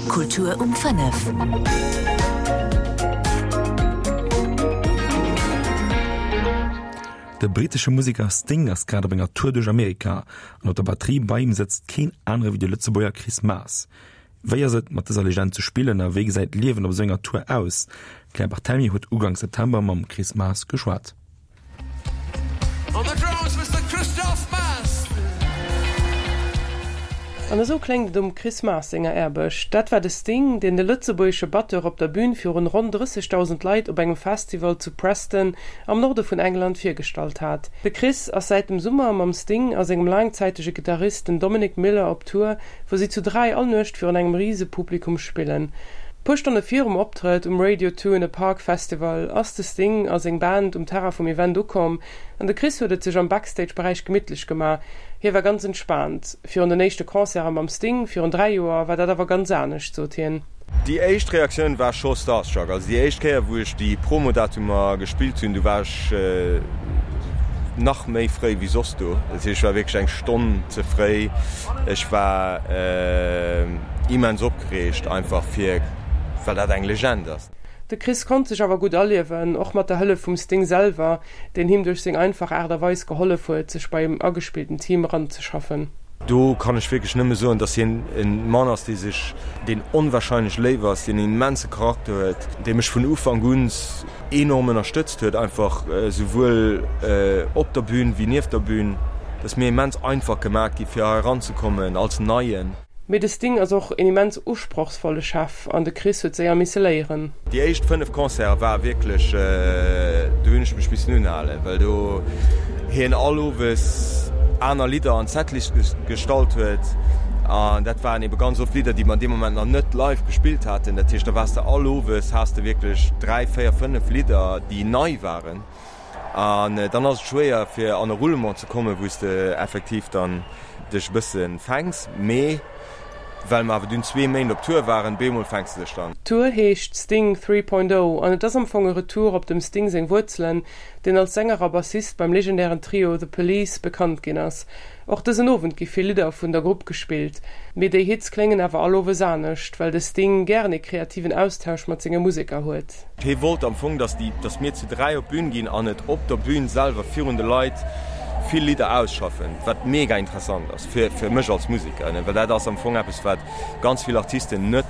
Kultur um 5. De brittesche Museker Sting ass grad op enger Tour duerch Amerika an op der Batterie bei him sëtzt keen anere wéi de Lëtzebuerger Chris Maas. Wéi ass et, mat dëser Legend ze spillen a wéi gesäit d'Liewen op esou enger Tour aus? D'Claire Barthelmy huet Uganks September mam Chris Maas geschwat. On the drums, Mister Christoph Maas. An esou kléngt et um Chris Maas senger Aarbecht. Dat war de Sting, deen de lëtzebuergesche Batteur op der Bün virun ronn 30.000 Leit op engem Festival zu Preston am Norde vun England virgestallt hat. De Chris ass säit dem Summer mam Sting a sengem laangzäitege Gittarist, den Dominic Miller, op Tour, wou si zu 3 all Nuecht virun engem Risepublikum spillen. Puer Stonne virum Optrëtt um Radio 2 in the Park Festival ass de Sting a seng Band um Terrain vum Event ukomm an de Chris huet et sech am Backstage-Beräich gemittlech gemaach. Hie war ganz entspaant. Virun den éischte Concerte mam Sting virun 3 Joer war dat awer ganz anescht, sot hien. Déi éischt Reaktioun war scho starstruck. Also déi éischt Kéier wou ech déi Promodatumer gespillt hunn, du war ech nach méi fréi wéi soss do. Dat heescht ech war wierklech eng Stonn ze fréi. Ech war immens opgereegt einfach fir well dat eng Legend ass. De Chris konnt sech awer gutt aliewen, och mat der Hëllef vum Sting selwer, deen him duerch seng einfach Aart a Weis gehollef huet, sech bei em agespillten Team eranzeschaffen. Do kann ech wierklech nëmme soen, dass hien e Mann ass, dee sech, deen onwahrscheinlech léif ass, deen en immense Charakter huet, dee mech vun Ufank un enorm ënnerstëtzt huet, einfach souwuel op der Bühn wéi nieft der Bühn. Et ass mir immens einfach gemaach gi fir hei eranzekommen als Neien. Mee de Sting ass och een immens usprochsvolle Chef an de Chris huet séier misse léieren. Déi éischt 5 Concerte war wierklech, do hunn ech mech missen unhalen, well do hien all Owes aner Lidder an d'Setlist gestallt huet an dat waren ebe ganz oft Lidder, déi mer an deem Moment nach net live gespillt haten. Dat heescht, da waars de all Owes, has de wierklech 3, 4, 5 Lidder, déi nei waren. An dann ass et schwéier fir an e Roulement ze kommen, wou s de effektiv dann dech e bësse fänks. Mee well mer awer dunn zwee Méint op Tour waren, bemol fänks de dech dann. D'Tour heescht Sting 3.0 an et ass am Fong e Retour op dem Sting seng Wuerzelen, deen als Sänger a Bassist beim legendären Trio The Police bekannt ginn ass. Och dësen Owend gi vill Lidder vun der Grupp gespillt, mee déi Hits kléngen awer all Owes anescht, well de Sting gären ee kreativen Austausch mat senge Museker huet. Hie wollt am Fong, dass déi, dass mir zu 3 op d'Bün ginn an et op der Bün selwer virun de Leit vill Lidder ausschaffen, wat mega interessant ass fir, fir mech als Museker, well dat ass am Fong eppes, wat ganz vill Artisten net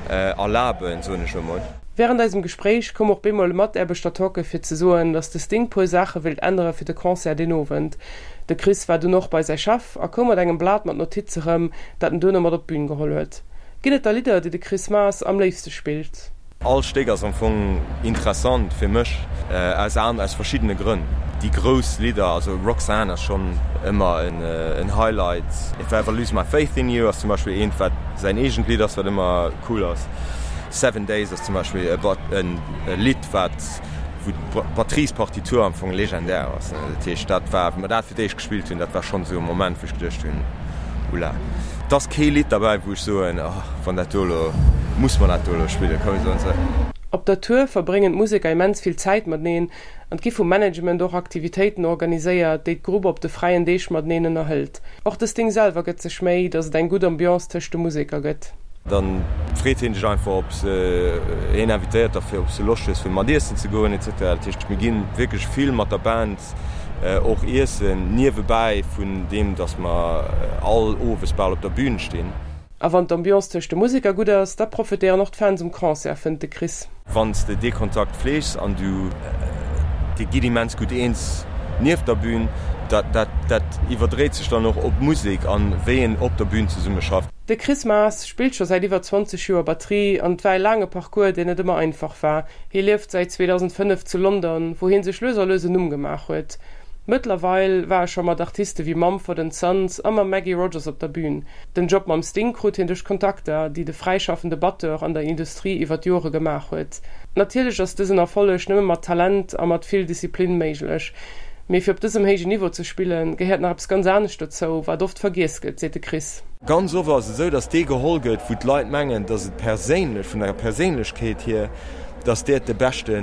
erlaben, soen ech elo mol. Wärend eisem Gespréich koum och bemol e Mataarbechter talke fir ze soen, dass de Sting puer Saache wéilt ännere fir de Concert deen Owend. De Chris war dunn och bei säi Chef a koum mat engem Blat mat Notize rëm, dat en duerno mat op d'Bün geholl huet. Ginn et da Lidder, déi de Chris Maas am léifste spillt? All Stéck ass am Fong interessant fir mech, aus an aus verschiddene Grënn. Déi grouss Lidder, also Roxanne ass schonn ëmmer en Highlight, If I Ever Lose My Faith In You ass zum Beispill eent, wat säin eegent Lidd ass, wat ëmmer cool ass. Seven Days ass zum Beispill e Lidd, wat wou d'Batteriespartitur am Fong legendär ass. Dat heescht, dat war, wéi mer dat fir d'éischt gespillt hunn, dat war schonn esou e Moment, wou ech geduecht hunn, Oula. Et ass kee Lidd derbäi, wou ech soen, oh, wann dat do elo, muss mer dat do elo spillen, komm mir soen se. Op der Tour verbréngen d'Museker immens vill Zäit mateneen an et gi vum Management och Aktivitéiten organiséiert, déi d'Grupp op de fräien Deeg mateneen ënnerhëlt. Och de Sting selwer gëtt sech Méi, datt et eng gutt Ambiance tëscht de Museker gëtt. Dann freet hien dech einfach, ob se, hien invitéiert dech fir, ob s de Loscht hues fir mat iessen ze goen et cetera. Dat heescht, mir gi wierklech vill mat der Band och iessen, niewebäi vun deem, datt mer all owes bal op der Bühn stinn. A wann d'Ambiance tëscht de Museker gutt ass, da profitéieren och d'Fans um Concert, fënnt de Chris. Wann s de dee Kontakt fleegs an du, dir gitt immens gutt eens nieft der Bühn, dat, dat, dat iwwerdréit sech dann och op d'Musek an wéi een op der Bühn zesumme schafft. De Chris Maas spillt scho säit iwwer 20 Joer Batterie an et war e laange Parcours, deen net ëmmer einfach war. Hie lieft säit 2005 zu London, wou hie sech lues a lues en Numm gemaach huet. Mëttlerweil war e scho mat Artiste wéi Mumford and Sons a mam Maggie Rogers op der Bün. Den Job mam Sting krut hien duerch Kontakter, déi de fräischaffende Batteur an der Industrie iwwer d'Jore gemaach huet. Natierlech ass dësen Erfolleg nëmme mat Talent a mat vill Disziplin méiglech. Mee fir op dësem héijen Niveau ze spillen, gehéiert nach eppes ganz anescht dozou, wat oft vergiess gëtt, seet de Chris. Ganz oft ass et esou, dass dee geholl gëtt, wou d'Leit mengen, dass et perséinlech, vun der Perséinlechkeet hier, dass dat de beschte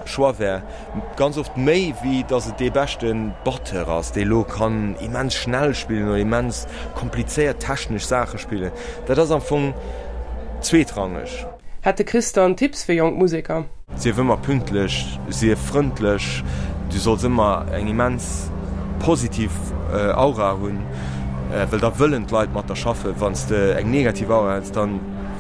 Choix wär. Ganz oft méi, wéi dass et dee beschte Batteur ass, dee elo kann immens schnell spillen oder immens komplizéiert technesch Saache spillen. Dat ass am Fong. zweetrangeg. Hätt de Chris dann Tipps fir jonk Museker? Sief ëmmer pünktlech, sief frëndlech, du solls ëmmer eng immens positiv Aura hunn, well da wëllen d'Leit mat der schaffen. Wann s de eng negativ Aura hues, da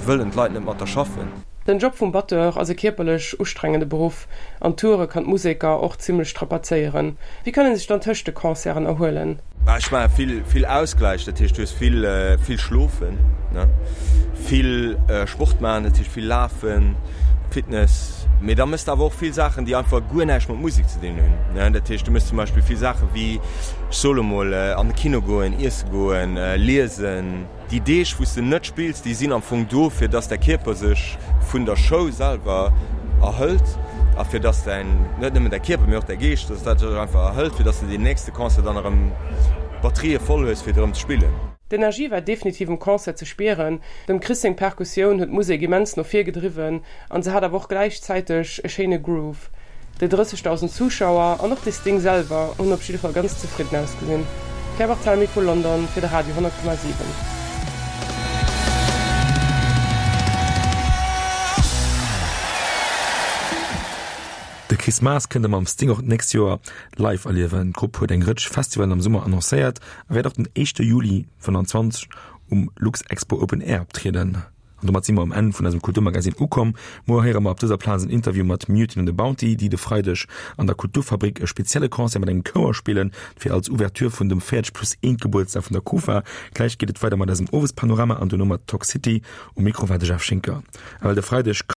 wëllen d'Leit net mat der schaffen. Den Job vum Batteur ass e kierperlech ustrengende Beruff an Toure kann d'Museker och zimmlech strapazéieren. Wéi kann ee sech dann tëscht de Concerten erhuelen? Ech maache vill, vill Ausgläich, dat heescht du hues vill, vill schlofen, ne, vill Sport maachen, dat heescht vill lafen, Fitness. Mee da méchs de awer och vill Saachen, déi einfach guer näischt mat Musek ze dinn hunn, ne. Dat heescht du méchs zum Beispill vill Saache wéi, ech soe lo mol, an de Kino goen, iesse goen, liesen. Déi Deeg, wou s de net spills, déi sinn am Fong do, fir dass däi Kierper sech vun der Show selwer erhëlt a fir dass däin, net nëmmen däi Kierper, mee och däi Geescht, dass dat sech einfach erhëlt, fir dass de deen nächste Concert dann erëm d'Batterië voll hues, fir erëm ze spillen. D'Energie war definitiv um Concert ze spieren. Dem Chris seng Perkussioun huet d'Musek immens no vir gedriwwen An se hat awer och gläichzäiteg e schéine Groove. Déi 30.000 Zuschauer an och de Sting selwer hunn op jidde Fall ganz zefridden ausgesinn. Claire Barthelmy vu London fir de Radio 10,7. De Chris Maas kënnt e mam Sting och d'nächst Joer live erliewen. D'Grupp huet eng Rëtsch Festivalen am Summer annoncéiert a wäert och den éischte Juli 25 um Luxexpo Open Air optrieden. An domat si mer um Enn vun eisem Kulturmagazin ukomm. Muer héiere mer op dëser Plaz en Interview mat Mutiny on the Bounty, déi de Freideg an der Kulturfabrik e spezielle Concert mat engem Chouer spillen, fir als Ouverture vun dem 40 plus 1 Gebuertsdag vun der Kufa. Gläich geet et weider mat eisem Owespanorama an duerno mat Talk City. Um Mikro war de Jeff Schinker. A well de Freideg.